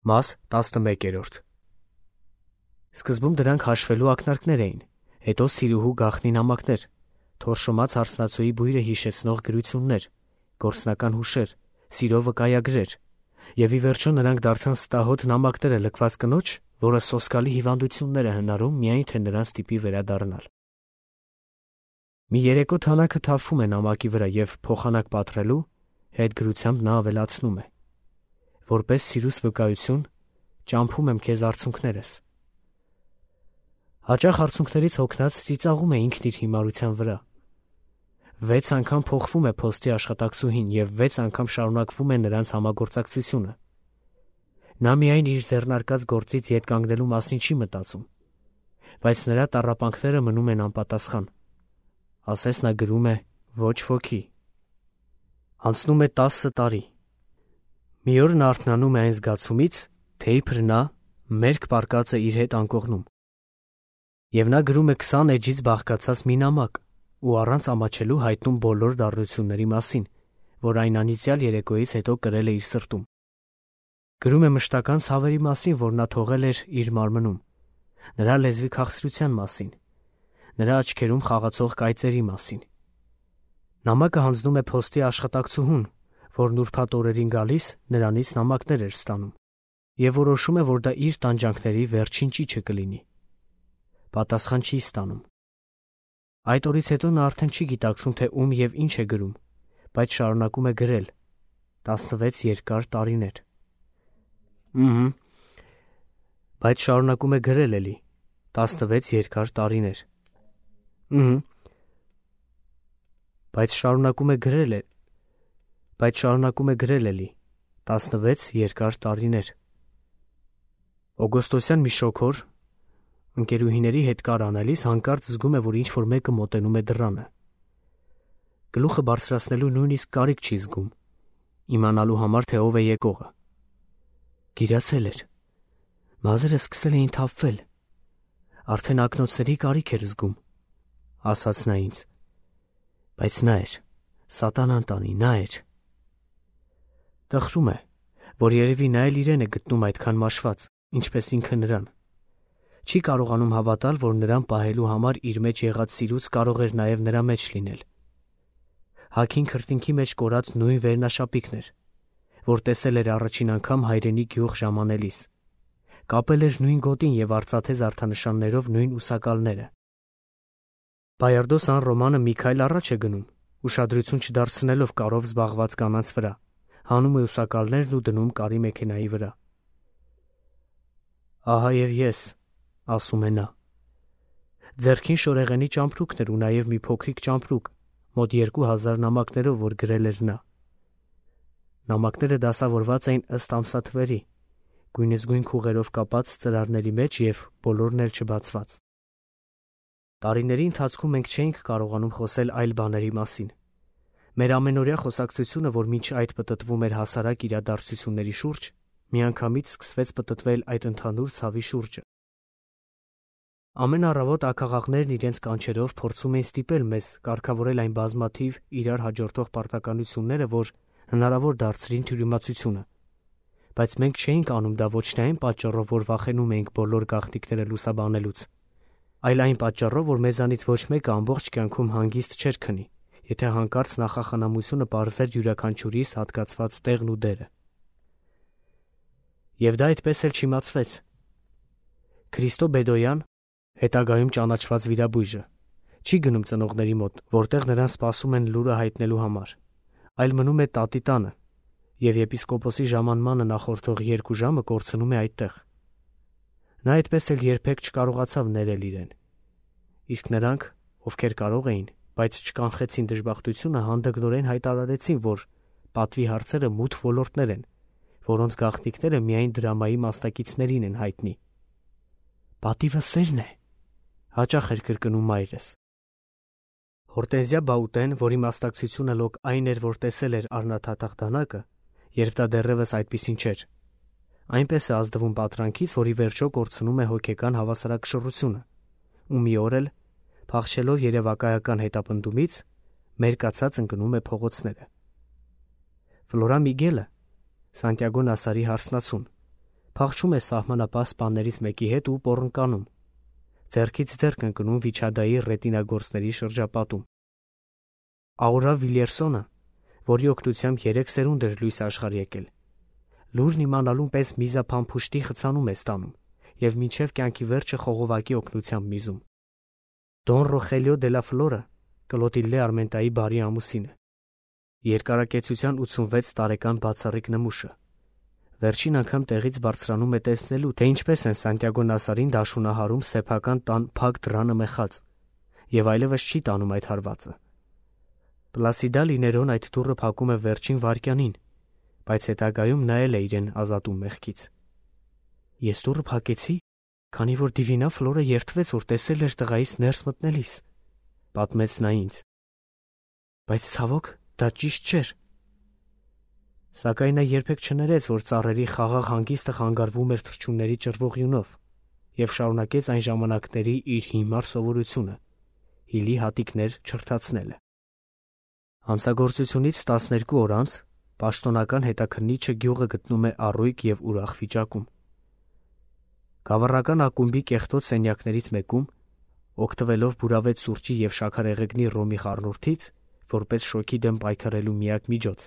Մաս 11-րդ Սկզբում դրանք հաշվելու ակնարկներ էին, հետո սիրուհու գաղտնի նամակներ, թորշոմած հարսնացուի բույրը հիշեցնող գրություններ, գործնական հուշեր, սիրո վկայագրեր, և ի վերջո նրանք դարձան ստահոդ նամակները լքված կնոջ, որը սոսկալի հիվանդություններ է հնարում միայն թե նրան ստիպի վերադառնալ։ Մի երեկո թանաքը թափվում է նամակի վրա և փոխանակ պատռելու հետ գրությամբ նա ավելացնում է. որպես սիրուս վկայություն, ճամփում եմ քեզ արցունքներս։ Հաճախ արցունքներից հոգնած ծիծաղում է ինքն իր հիմարության վրա։ 6 անգամ փոխվում է փոստի աշխատակցուհին և 6 անգամ շարունակվում է նրանց համագործակցությունը։ Նա միայն իր ձեռնարկած գործից ետ կանգնելու մասին չի մտածում, բայց նրա տառապանքները մնում են անպատասխան։ Ասես նա գրում է ոչ ոքի։ Անցնում է 10 տարի։ Մի օր նա արթնանում է այն զգացումից, թե իբր նա մերկ պառկած է իր հետ անկողնում։ Եվ նա գրում է 20 էջից բաղկացած մի նամակ ու առանց ամաչելու հայտնում բոլոր դառնությունների մասին, որ այն անիծյալ երեկոյից հետո կրել է իր սրտում։ Գրում է մշտական ցավերի մասին, որ նա թողել էր իր մարմնում, նրա լեզվի քաղցրության մասին, նրա աչքերում խաղացող կայծերի մասին։ Նամակը հանձնում է փոստի աշխատակցուհուն, որն ուրբաթ օրերին գալիս նրանից նամակներ էր ստանում, և որոշում է, որ դա իր տանջանքների վերջին ճիչը կլինի։ Պատասխան չի ստանում։ Այդ օրից հետո նա արդեն չի գիտակցում, թե ում և ինչ է գրում, բայց շարունակում է գրել 16 երկար տարիներ։ Բայց շարունակում է գրել էլի 16 երկար տարիներ։ Բայց շարունակում է գրել էլի 16 երկար տարիներ։ Օգոստոսյան մի շոգոր ընկերուհիների հետ կար անելիս հանկարծ զգում է, որ ինչ-որ մեկը մոտենում է դռանը։ Գլուխը բարձրացնելու նույնիսկ կարիք չի զգում, իմանալու համար, թե ով է եկողը։ Գիրացել էր։ Մազերը սկսել էին թափվել։ Արդեն ակնոցների կարիք էր զգում, ասաց նա ինձ։ Բայց նա էր, սատանան տանի, նա էր։ Տխրում է, որ երևի նա էլ իրեն է գտնում այդքան մաշված, ինչպես ինքը նրան։ Չի կարողանում հավատալ, որ նրան պահելու համար իր մեջ եղած սիրուց կարող էր նաև նրա մեջ լինել։ Հագին քրտինքի մեջ կորած նույն վերնաշապիկն էր, որ տեսել էր առաջին անգամ հայրենի գյուղ ժամանելիս։ Կապել էր նույն գոտին և արծաթե զարդանշաններով նույն ուսակալները։ Բայարդո Սան Ռոմանը մի քայլ առաջ է գնում, ուշադրություն չդարձնելով կարով զբաղված կանանց վրա, հանում է ուսակալներն ու դնում կարի մեքենայի վրա։ Ահա և ես, ասում է նա։ Ձեռքին շորեղենի ճամպրուկն էր ու նաև մի փոքրիկ ճամպրուկ, մոտ 2000 նամակներով, որ գրել էր նա։ Նամակները դասավորված էին ըստ ամսաթվերի, գույնզգույն քուղերով կապած ծրարների մեջ և բոլորն էլ չբացված։ Տարիների ընթացքում մենք չէինք կարողանում խոսել այլ բաների մասին։ Մեր ամենօրյա խոսակցությունը, որ մինչ այդ պտտվում էր հասարակ իրադարձությունների շուրջ, միանգամից սկսվեց պտտվել այդ ընդհանուր ցավի շուրջը։ Ամեն առավոտ ակաղաղներն իրենց կանչերով փորձում էին ստիպել մեզ կարգավորել այն բազմաթիվ իրար հաջորդող պարտականությունները, որ հնարավոր դարձրին թյուրիմացությունը։ Բայց մենք չէինք անում դա ոչ թե այն պատճառով, որ վախենում էինք բոլոր գաղտնիքները լուսաբանելուց, այլ այն պատճառով, որ մեզանից ոչ մեկը ամբողջ կյանքում հանգիստ չէր քնի, եթե հանկարծ նախախնամությունը պարզեր յուրաքանչյուրիս հատկացված տեղն ու դերը։ Եվ դա այդպես էլ չիմացվեց։ Քրիստո Բեդոյան, հետագայում ճանաչված վիրաբույժը, չի գնում ծնողների մոտ, որտեղ նրան սպասում են լուրը հայտնելու համար, այլ մնում է տատի տանը, և եպիսկոպոսի ժամանմանը նախորդող 2 ժամը կորցնում է այդտեղ։ Նա այդպես էլ երբեք չկարողացավ ներել իրեն։ Իսկ նրանք, ովքեր կարող էին, բայց չկանխեցին դժբախտությունը, հանդգնորեն հայտարարեցին, որ պատվի հարցերը մութ ոլորտներ են, որոնց գաղտնիքները միայն դրամայի մասնակիցներին են հայտնի։ Պատիվը սերն է, հաճախ էր կրկնում մայրս։ Հորտենզիա Բաուտեն, որի մասնակցությունը լոկ այն էր, որ տեսել էր առնաթաթախ դանակը, երբ դա դեռևս այդպիսին չէր, այնպես է ազդվում պատրանքից, որի վերջո կորցնում է հոգեկան հավասարակշռությունը, ու մի օր էլ, փախչելով երևակայական հետապնդումից, մերկացած ընկնում է փողոցները։ Ֆլորա Միգելը, Սանտիագո Նասարի հարսնացուն, փախչում է սահմանապահ սպաներից մեկի հետ ու պոռնկանում, ձեռքից ձեռք ընկնում Վիչադայի ռետինագործների շրջապատում։ Աուրա Վիլյերսոնը, որի օգնությամբ 3 սերունդ էր լույս աշխարհ եկել, լուրն իմանալուն պես միզափամփուշտի խցանում է ստանում և մինչև կյանքի վերջը խողովակի օգնությամբ միզում։ Դոն Ռոխելիո դե լա Ֆլորը Կլոտիլդե Արմենտայի բարի ամուսինը, երկարակեցության 86 տարեկան բացառիկ նմուշը, վերջին անգամ տեղից բարձրանում է տեսնելու, թե ինչպես են Սանտիագո Նասարին դաշունահարում սեփական տան փակ դռանը մեխած, և այլևս չի տանում այդ հարվածը։ Պլասիդա Լիներոն այդ դուռը փակում է վերջին վայրկյանին, բայց հետագայում նա էլ է իրեն ազատում մեղքից։ Ես դուռը փակեցի, քանի որ Դիվինա Ֆլորը երդվեց, որ տեսել էր տղայիս ներս մտնելիս, պատմեց նա ինձ։ Բայց ցավոք, դա ճիշտ չէր։ Սակայն նա երբեք չներեց, որ ծառերի խաղաղ հանգիստը խանգարվում էր թռչունների ճռվողյունով, և շարունակեց այն ժամանակների իր հիմար սովորությունը՝ հիլի հատիկներ չրթացնելը։ Հանցագործությունից 12 օր անց պաշտոնական հետաքննիչը գյուղը գտնում է առույգ և ուրախ վիճակում։ Գավառական ակումբի կեղտոտ սենյակներից մեկում, օգտվելով բուրավետ սուրճի և շաքարեղեգնի ռոմի խառնուրդից, որպես շոկի դեմ պայքարելու միակ միջոց,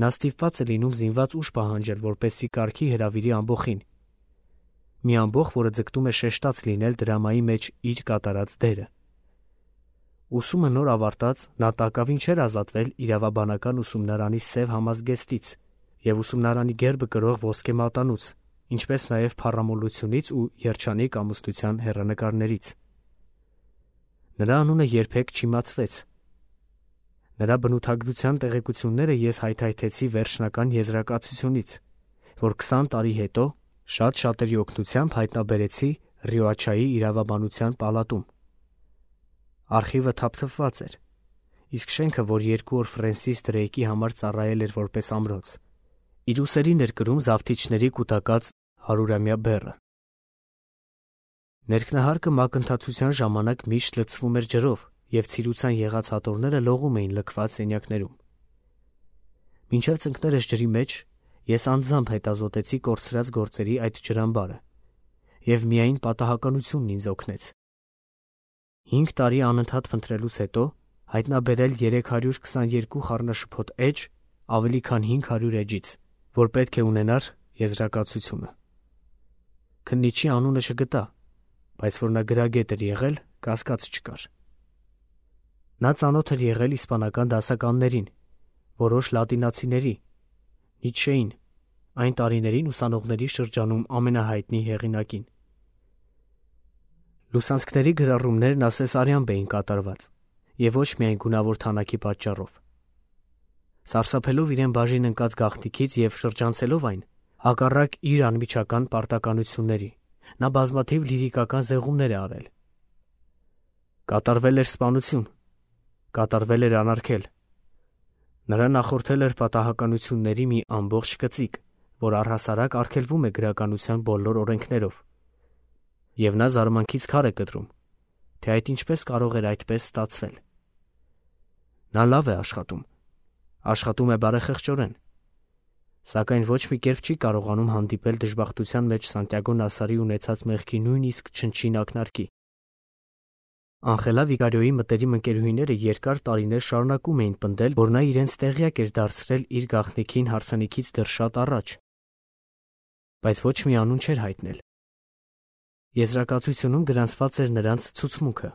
նա ստիպված է լինում զինված ուժ պահանջել, որպեսզի կարգի հրավիրի ամբոխին։ Մի ամբոխ, որը ձգտում է շեշտած լինել դրամայի մեջ իր կատարած դերը։ Ուսումը նոր ավարտած, նա տակավին չէր ազատվել իրավաբանական ուսումնարանի սև համազգեստից և ուսումնարանի գերբը կրող ոսկե մատանուց, ինչպես նաև փառամոլությունից ու երջանիկ ամուսնության հեռանկարներից։ Նրա անունը երբեք չիմացվեց։ Նրա բնութագրության տեղեկությունները ես հայթայթեցի վերջնական եզրակացությունից, որ 20 տարի հետո շատ շատերի օգնությամբ հայտնաբերեցի Ռիոաչայի իրավաբանության պալատում։ Արխիվը թափթփված էր, իսկ շենքը, որ 2 օր Ֆրենսիս Դրեյկի համար ծառայել էր որպես ամրոց, իր ուսերին էր կրում զավթիչների կուտակած 100-ամյա բեռը։ Ներքնահարկը մակընթացության ժամանակ միշտ լցվում էր ջրով, և ցիրուցան եղած հատորները լողում էին լքված սենյակներում։ Մինչև ծնկներս ջրի մեջ, ես անձամբ հետազոտեցի կորցրած գործերի այդ ջրամբարը, և միայն պատահականությունն ինձ օգնեց։ 5 տարի անընդհատ փնտրելուց հետո հայտնաբերել 322 խառնաշփոթ էջ ավելի քան 500 էջից, որ պետք է ունենար եզրակացությունը։ Քննիչի անունը չգտա, բայց որ նա գրագետ էր եղել, կասկած չկար։ Նա ծանոթ էր եղել իսպանական դասականներին, որոշ լատինացիների, Նիցշեին, այն տարիներին ուսանողների շրջանում ամենահայտնի հեղինակին։ Լուսանցքների գրառումներն ասեսարյամբ էին կատարված, և ոչ միայն գունավոր թանակի պատճառով։ Սարսափելով իրեն բաժին ընկած գաղտնիքից և շրջանցելով այն, հակառակ իր անմիջական պարտականությունների, նա բազմաթիվ լիրիկական զեղումներ է արել։ Կատարվել էր սպանություն, կատարվել էր անարգել։ Նրա նախորդել էր պատահականությունների մի ամբողջ կծիկ, որ առհասարակ արգելվում է գրականության բոլոր օրենքներով։ Եվ նա զարմանքից քար է կտրում, թե այդ ինչպես կարող էր այդպես ստացվել։ Նա լավ է աշխատում է բարեխեղճորեն, սակայն ոչ մի կերպ չի կարողանում հանդիպել դժբախտության մեջ Սանտիագո Նասարի ունեցած մեղքի նույնիսկ չնչին ակնարկի։ Անխելա Վիկարիոյի մտերիմ ընկերուհիները երկար տարիներ շարունակում էին պնդել, որ նա իրենց տեղյակ էր դարձրել իր գաղտնիքին հարսանիքից դեռ շատ առաջ, բայց ոչ մի անուն չէր հայտնել։ Եզրակացությունում գրանցված էր նրանց ցուցմունքը։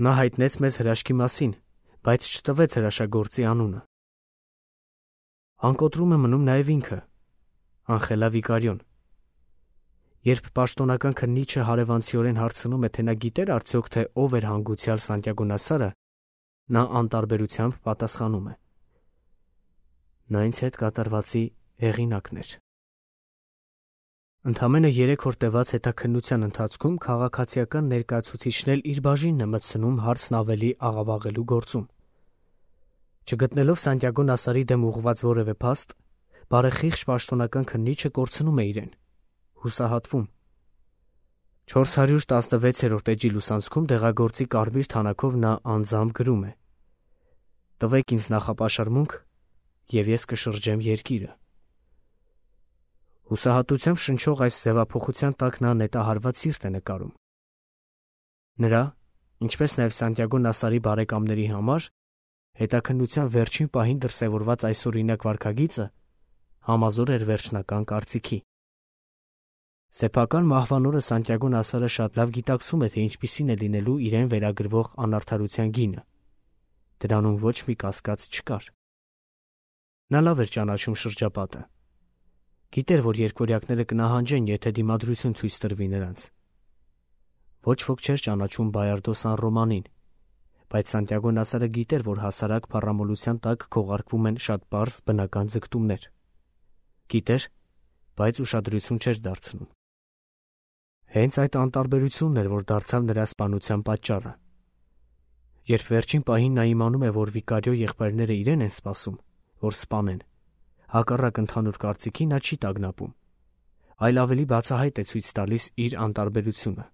Նա հայտնեց մեզ հրաշքի մասին, բայց չտվեց հրաշագործի անունը։ Անկոտրում է մնում նաև ինքը, Անխելա Վիկարիոն։ Երբ պաշտոնական քննիչը հարևանցիորեն հարցնում է, թե նա գիտեր արդյոք, թե ով էր հանգուցյալ Սանտիագո Նասարը, նա անտարբերությամբ պատասխանում է. նա ինձ հետ կատարվածի հեղինակն էր։ Ընդամենը 3 օր տևած հետաքննության ընթացքում քաղաքացիական ներկայացուցիչն էլ իր բաժինն է մտցնում հարցն ավելի աղավաղելու գործում։ Չգտնելով Սանտիագո Նասարի դեմ ուղղված որևէ փաստ, բարեխիղճ պաշտոնական քննիչը կորցնում է իրեն, հուսահատվում։ 416-րդ էջի լուսանցքում դեղագործի կարմիր թանաքով նա անձամբ գրում է. «Տվեք ինձ նախապաշարմունք, և ես կշրջեմ երկիրը»։ Հուսահատությամբ շնչող այս ձևափոխության տակ նա նետահարված սիրտ է նկարում։ Նրա, ինչպես նաև Սանտիագո Նասարի բարեկամների համար, հետաքննության վերջին պահին դրսևորված այսօրինակ վարքագիծը համազոր էր վերջնական կարծիքի։ Սեփական մահվան օրը Սանտիագո Նասարը շատ լավ գիտակցում է, թե ինչպիսին է լինելու իրեն վերագրվող անարդարության գինը։ Դրանում ոչ մի կասկած չկար։ Նա լավ էր ճանաչում շրջապատը։ Գիտեր, որ երկվորյակները կնահանջեն, եթե դիմադրություն ցույց տրվի նրանց։ Ոչ ոք չէր ճանաչում Բայարդո Սան Ռոմանին, բայց Սանտիագո Նասարը գիտեր, որ հասարակ փառամոլության տակ քողարկվում են շատ պարզ բնական ձգտումներ։ Գիտեր, բայց ուշադրություն չէր դարձնում։ Հենց այդ անտարբերությունն էր, որ դարձավ նրա սպանության պատճառը։ Երբ վերջին պահին նա իմանում է, որ վիկարիո եղբայրները իրեն են սպասում, որ սպանեն, հակառակ ընդհանուր կարծիքի նա չի տագնապում, այլ ավելի բացահայտ է ցույց տալիս իր անտարբերությունը։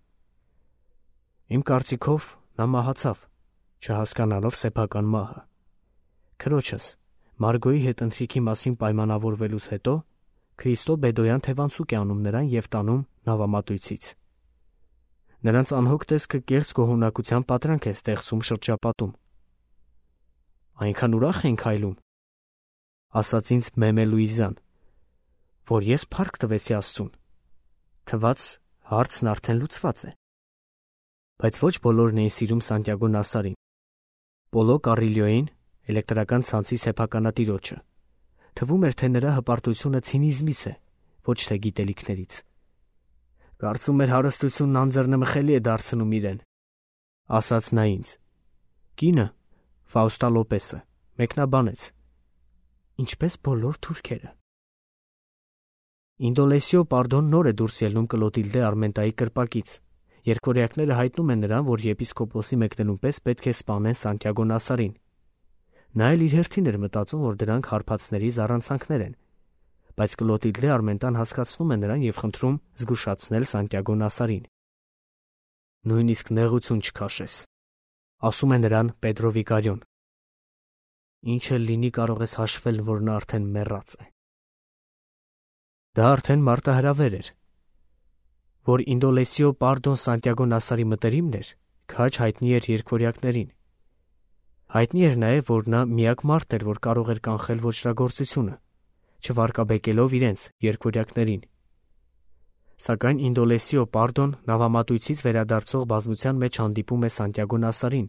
Իմ կարծիքով նա մահացավ, չհասկանալով սեփական մահը։ Քրոջս, Մարգոյի հետ ընթրիքի մասին պայմանավորվելուց հետո Քրիստո Բեդոյան թևանցուկ է անում նրան և տանում նավամատույցից։ Նրանց անհոգ տեսքը կեղծ գոհունակության պատրանք է ստեղծում շրջապատում։ Այնքան ուրախ ենք հայլում, ասաց ինձ Մեմե Լուիզան, որ ես փառք տվեցի Աստծուն, թվաց հարցն արդեն լուծված է։ Բայց ոչ բոլորն էին սիրում Սանտիագո Նասարին։ Պոլո Կարիլյոին, էլեկտրական ցանցի սեփականատիրոջը, թվում էր, թե նրա հպարտությունը ցինիզմից է, ոչ թե գիտելիքներից։ Կարծում էր հարստությունն անձեռնմխելի է դարձնում իրեն, ասաց նա ինձ։ Կինը, Ֆաուստա Լոպեսը, մեկնաբանեց, ինչպես բոլոր թուրքերը։ Ինդոլեսիո Պարդոն նոր է դուրս ելնում Կլոտիլդե Արմենտայի կրպակից։ Երկորյակները հայտնում են նրան, որ եպիսկոպոսի մեկնելուն պես պետք է սպանեն Սանտիագո Նասարին։ Նա էլ իր հերթին էր մտածում, որ դրանք հարբածների զառանցանքներ են, բայց Կլոտիլդե Արմենտան հասկացնում է նրան և խնդրում զգուշացնել Սանտիագո Նասարին։ Նույնիսկ նեղություն չքաշես, ասում է նրան Պեդրո Վիկարիոն։ Ինչ էլ լինի, կարող ես հաշվել, որ նա արդեն մեռած է։ Դա արդեն մարտահրավեր էր։ Որ Ինդոլեսիո Պարդոն Սանտիագո Նասարի մտերիմն էր, քաջ հայտնի էր երկվորյակներին։ Հայտնի էր նաև, որ նա միակ մարդ էր, որ կարող էր կանխել ոճրագործությունը, չվարկաբեկելով իրենց երկվորյակներին։ Սակայն Ինդոլեսիո Պարդոն նավամատույցից վերադարձող բազմության մեջ հանդիպում է Սանտիագո Նասարին,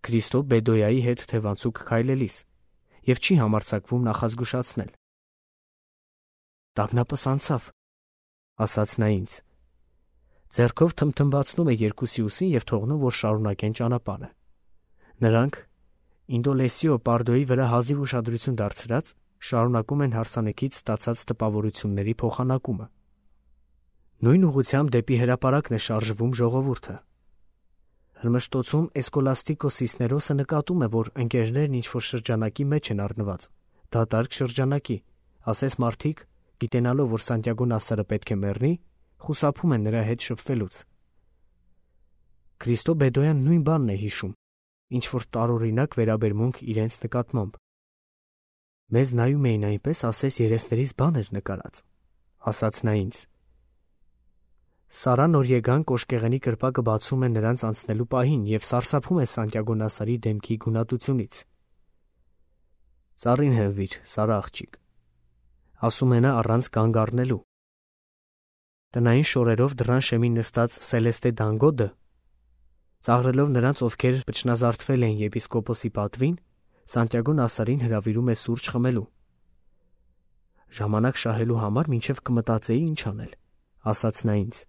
Քրիստո Բեդոյայի հետ թևանցուկ քայլելիս, և չի համարձակվում նախազգուշացնել։ Տագնապս անցավ, ասաց նա ինձ։ Ձեռքով թմթմբացնում է երկուսի ուսին և թողնում, որ շարունակեն ճանապարհը։ Նրանք, Ինդոլեսիո Պարդոյի վրա հազիվ ուշադրություն դարձրած, շարունակում են հարսանեկից ստացած տպավորությունների փոխանակումը։ Նույն ուղղությամբ դեպի հրապարակն է շարժվում ժողովուրդը։ Հրմշտոցում Էսկոլաստիկո Սիսներոսը նկատում է, որ ընկերներն ինչ-որ շրջանակի մեջ են առնված, դատարկ շրջանակի, ասես մարդիկ, գիտենալով, որ Սանտիագո Նասարը պետք է մեռնի, խուսափում են նրա հետ շփվելուց։ Քրիստո Բեդոյան նույն բանն է հիշում, ինչ-որ տարօրինակ վերաբերմունք իրենց նկատմամբ։ Մեզ նայում էին այնպես, ասես երեսներից բան էր նկարած, ասաց նա ինձ։ Սարա Նորիեգան կոշկեղենի կրպակը բացում է նրանց անցնելու պահին և սարսափում է Սանտիագո Նասարի դեմքի գունատությունից։ Ծառին հենվիր, Սարա աղջիկ, ասում է նա առանց կանգ առնելու։ Տնային շորերով դռան շեմին նստած Սելեստե Դանգոդը, ծաղրելով նրանց, ովքեր վճնազարդվել էին եպիսկոպոսի պատվին, Սանտիագո Նասարին հրավիրում է սուրճ խմելու։ Ժամանակ շահելու համար մինչև կմտածեի ինչ անել, ասաց նա ինձ։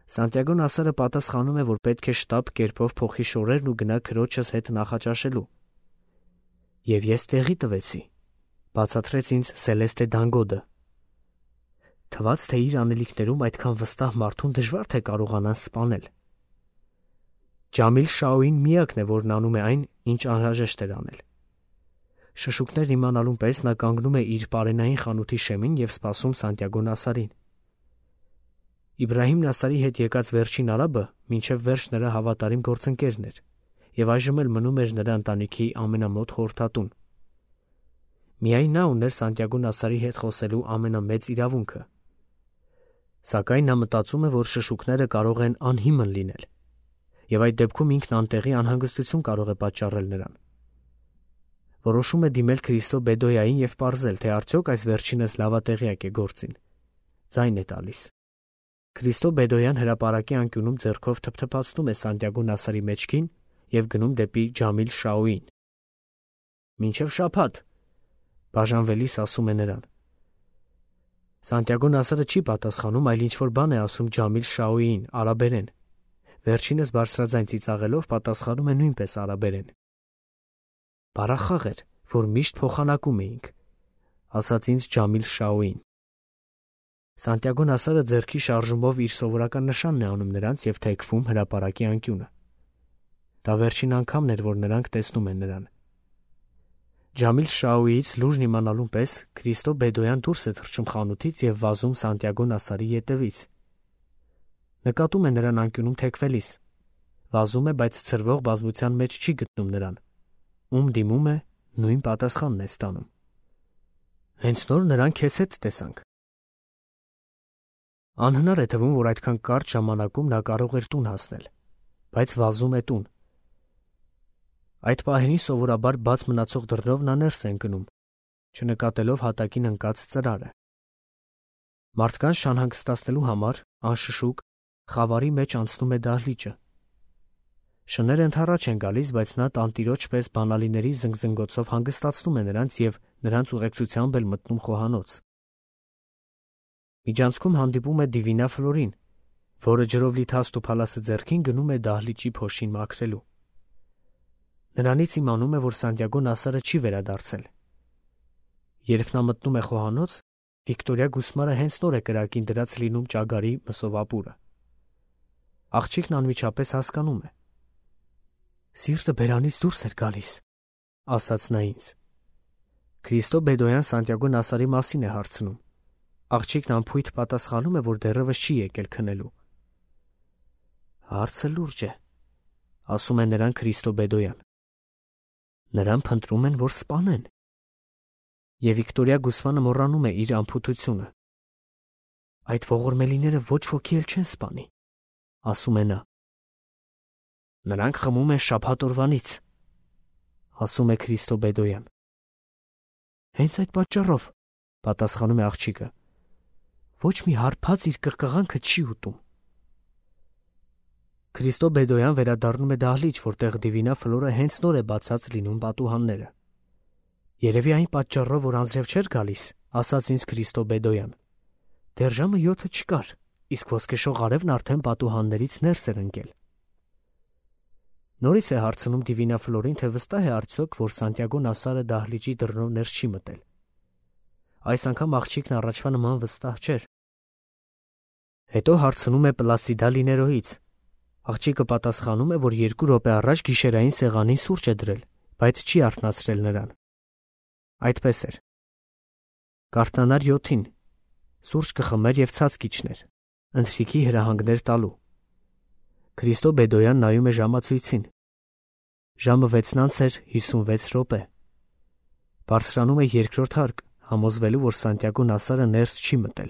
Սանտիագո Նասարը պատասխանում է, որ պետք է շտապ կերպով փոխի շորերն ու գնա քրոջս հետ նախաճաշելու։ Եվ ես տեղի տվեցի, բացատրեց ինձ Սելեստե Դանգոդը։ Թվաց, թե իր անելիքներում այդքան վստահ մարդուն դժվար թե կարողանան սպանել։ Ջամիլ Շաուին միակն է, որն անում է այն, ինչ անհրաժեշտ էր անել։ Շշուկներն իմանալուն պես նա կանգնում է իր պարենային խանութի շեմին և սպասում Սանտիագո Նասարին։ Իբրահիմ Նասարի հետ եկած վերջին արաբը մինչև վերջ նրա հավատարիմ գործընկերն էր և այժմ էլ մնում էր նրա ընտանիքի ամենամոտ խորհրդատուն։ Միայն նա ուներ Սանտիագո Նասարի հետ խոսելու ամենամեծ իրավունքը։ Սակայն նա մտածում է, որ շշուկները կարող են անհիմն լինել, եւ այդ դեպքում ինքն անտեղի անհանգստություն կարող է պատճառել նրան։ Որոշում է դիմել Քրիստո Բեդոյային եւ պարզել, թե արդյոք այս վերջինս լավատեղյակ է գործին։ Ձայն է տալիս։ Քրիստո Բեդոյան հրապարակի անկյունում ձեռքով թփթփացնում է Սանտիագո Նասարի մեջքին եւ գնում դեպի Ջամիլ Շաուին։ «Մինչև շաբաթ», բաժանվելիս ասում է նրան։ Սանտիագո Նասարը չի պատասխանում, այլ ինչ-որ բան է ասում Ջամիլ Շաուին արաբերեն։ Վերջինս բարձրաձայն ծիծաղելով պատասխանում է նույնպես արաբերեն։ «Բարախաղ էր, որ միշտ փոխանակում էինք», ասաց ինձ Ջամիլ Շաուին։ Սանտիագո Նասարը ձեռքի շարժումով իր սովորական նշանն է անում նրանց եւ թեքվում հրապարակի անկյունը։ Դա վերջին անգամն էր, որ նրանք տեսնում են նրան։ Ջամիլ Շաուիից լուրն իմանալուն պես Քրիստո Բեդոյան դուրս է թռչում խանութից եւ վազում Սանտիագո Նասարի ետևից։ Նկատում է նրան անկյունում թեքվելիս։ Վազում է, բայց ցրվող բազմության մեջ չի գտնում նրան։ Ում դիմում է, նույն պատասխանն է ստանում։ Հենց նոր նրան քեզ հետ տեսանք։ Անհնար է թվում, որ այդքան կարճ ժամանակում նա կարող էր տուն հասնել, բայց վազում է տուն։ Այդ պահերին սովորաբար բաց մնացող դռնով նա ներս է ընկնում, չնկատելով հատակին ընկած ծրարը։ Մարդկանց շանհանգստացնելու համար, անշշուկ, խավարի մեջ անցնում է դահլիճը։ Շները ընդառաջ են գալիս, բայց նա տանտիրոջ պես բանալիների զնգզնգոցով հանգստացնում է նրանց եւ նրանց ուղեկցությամբ էլ մտնում խոհանոց։ Միջանցքում հանդիպում է Դիվինա Ֆլորին, որը ջրով լի թաստ ու փալասը ձեռքին գնում է դահլիճի փոշին մաքրելու։ Նրանից իմանում է, որ Սանտիագո Նասարը չի վերադարձել։ Երբ նա մտնում է խոհանոց, Վիկտորիա Գուսմարը հենց նոր է կրակին դրած լինում ճագարի մսովապուրը։ Աղջիկն անմիջապես հասկանում է։ Սիրտը բերանից դուրս էր գալիս, ասաց նա ինձ։ Քրիստո Բեդոյան Սանտիագո Նասարի մասին է հարցնում։ Աղջիկն անփույթ պատասխանում է, որ դեռևս չի եկել քնելու։ Հարցը լուրջ է, ասում է նրան Քրիստո Բեդոյան։ Նրան փնտրում են, որ սպանեն։ Եվ Վիկտորիա Գուսմանը մոռանում է իր անփութությունը։ Այդ ողորմելիները ոչ ոքի էլ չեն սպանի, ասում է նա։ Նրանք խմում են շաբաթ օրվանից, ասում է Քրիստո Բեդոյան։ Հենց այդ պատճառով, պատասխանում է աղջիկը, ոչ մի հարբած իր կղկղանքը չի ուտում։ Քրիստո Բեդոյան վերադառնում է դահլիճ, որտեղ Դիվինա Ֆլորը հենց նոր է բացած լինում պատուհանները։ Երևի այն պատճառով, որ անձրև չէր գալիս, ասաց ինձ Քրիստո Բեդոյան։ Դեռ ժամը 7 չկար, իսկ ոսկեշող արևն արդեն պատուհաններից ներս էր ընկել։ Նորից է հարցնում Դիվինա Ֆլորին, թե վստահ է արդյոք, որ Սանտիագո Նասարը դահլիճի դռնով ներս չի մտել։ Այս անգամ աղջիկն առաջվա նման վստահ չէր։ Հետո հարցնում է Պլասիդա Լիներոից։ Աղջիկը պատասխանում է, որ 2 րոպե առաջ գիշերային սեղանին սուրճ է դրել, բայց չի արթնացրել նրան։ Այդպես էր։ Կարտանար 7-ին սուրճ կխմեր եւ ցած կիջներ, ընթրիքի հրահանգներ տալու։ Քրիստո Բեդոյան նայում է ժամացույցին։ Ժամը 6:56 րոպե։ Բարձրանում է երկրորդ հարկ, համոզվելու, որ Սանտիագո Նասարը ներս չի մտել։